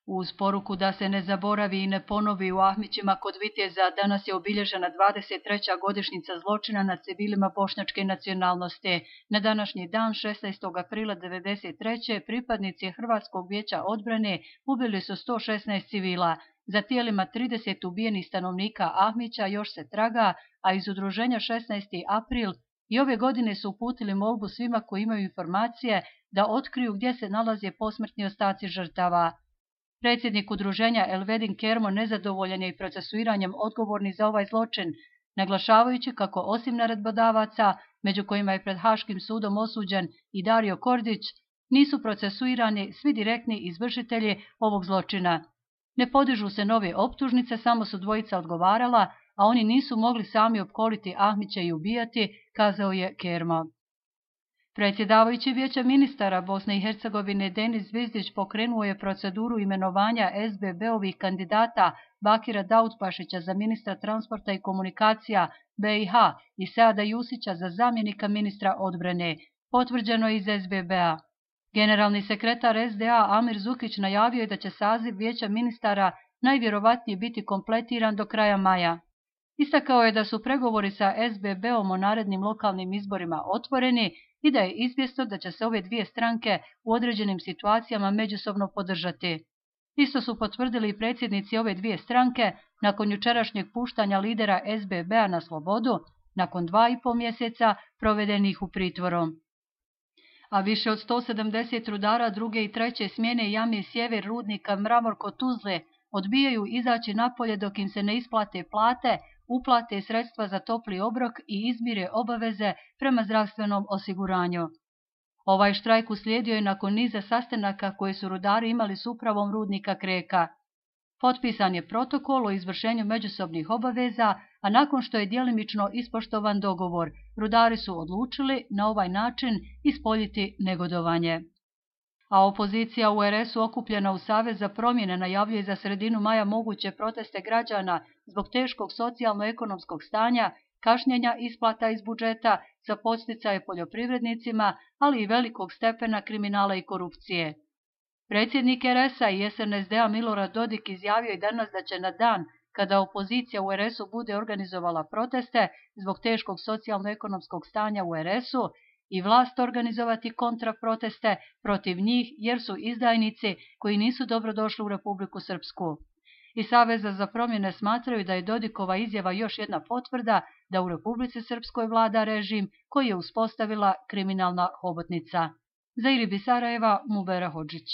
Uz poruku da se ne zaboravi i ne ponovi u Ahmićima kod Viteza danas je obilježena 23. godišnjica zločina nad civilima bošnjačke nacionalnosti. Na današnji dan, 16. aprila 1993. pripadnici Hrvatskog vijeća odbrane ubili su 116 civila. Za tijelima 30 ubijenih stanovnika Ahmića još se traga, a iz udruženja 16. april i ove godine su uputili molbu svima koji imaju informacije da otkriju gdje se nalaze posmrtni ostaci žrtava. Predsjednik udruženja Elvedin Kermo nezadovoljan je i procesuiranjem odgovornih za ovaj zločin, naglašavajući kako osim naredbodavaca, među kojima je pred Haškim sudom osuđen i Dario Kordić, nisu procesuirani svi direktni izvršitelji ovog zločina. Ne podižu se nove optužnice, samo su dvojica odgovarala, a oni nisu mogli sami opkoliti Ahmića i ubijati, kazao je Kermo. Predsjedavajući Vijeća ministara Bosne i Hercegovine Denis Zvizdić pokrenuo je proceduru imenovanja SBB-ovih kandidata Bakira Daudpašića za ministra transporta i komunikacija BiH i Seada Jusića za zamjenika ministra odbrane, potvrđeno iz SBB-a. Generalni sekretar SDA Amir Zukić najavio je da će saziv Vijeća ministara najvjerovatnije biti kompletiran do kraja maja. Istakao je da su pregovori sa SBB-om o narednim lokalnim izborima otvoreni i da je izvjesno da će se ove dvije stranke u određenim situacijama međusobno podržati. Isto su potvrdili i predsjednici ove dvije stranke nakon jučerašnjeg puštanja lidera SBB-a na slobodu, nakon 2,5 mjeseca provedenih u pritvoru. A više od 170 rudara druge i treće smjene Jame Sjever rudnika Mramor kod Tuzle odbijaju izaći napolje dok im se ne isplate plate, uplate sredstva za topli obrok i izmire obaveze prema zdravstvenom osiguranju. Ovaj štrajk uslijedio je nakon niza sastanaka koje su rudari imali s upravom rudnika Kreka. Potpisan je protokol o izvršenju međusobnih obaveza, a nakon što je djelimično ispoštovan dogovor, rudari su odlučili na ovaj način ispoljiti negodovanje. A opozicija u RS-u okupljena u Savez za promjene najavljuje za sredinu maja moguće proteste građana zbog teškog socijalno-ekonomskog stanja, kašnjenja isplata iz budžeta za podsticaje poljoprivrednicima, ali i velikog stepena kriminala i korupcije. Predsjednik RS-a i SNSD-a Milorad Dodik izjavio je danas da će na dan kada opozicija u RS-u bude organizovala proteste zbog teškog socijalno-ekonomskog stanja u RS-u i vlast organizovati kontraproteste protiv njih jer su izdajnici koji nisu dobrodošli u Republiku Srpsku. I Saveza za promjene smatraju da je Dodikova izjava još jedna potvrda da u Republici Srpskoj vlada režim koji je uspostavila kriminalna hobotnica. Za Iribi Sarajeva, Mubera Hodžić.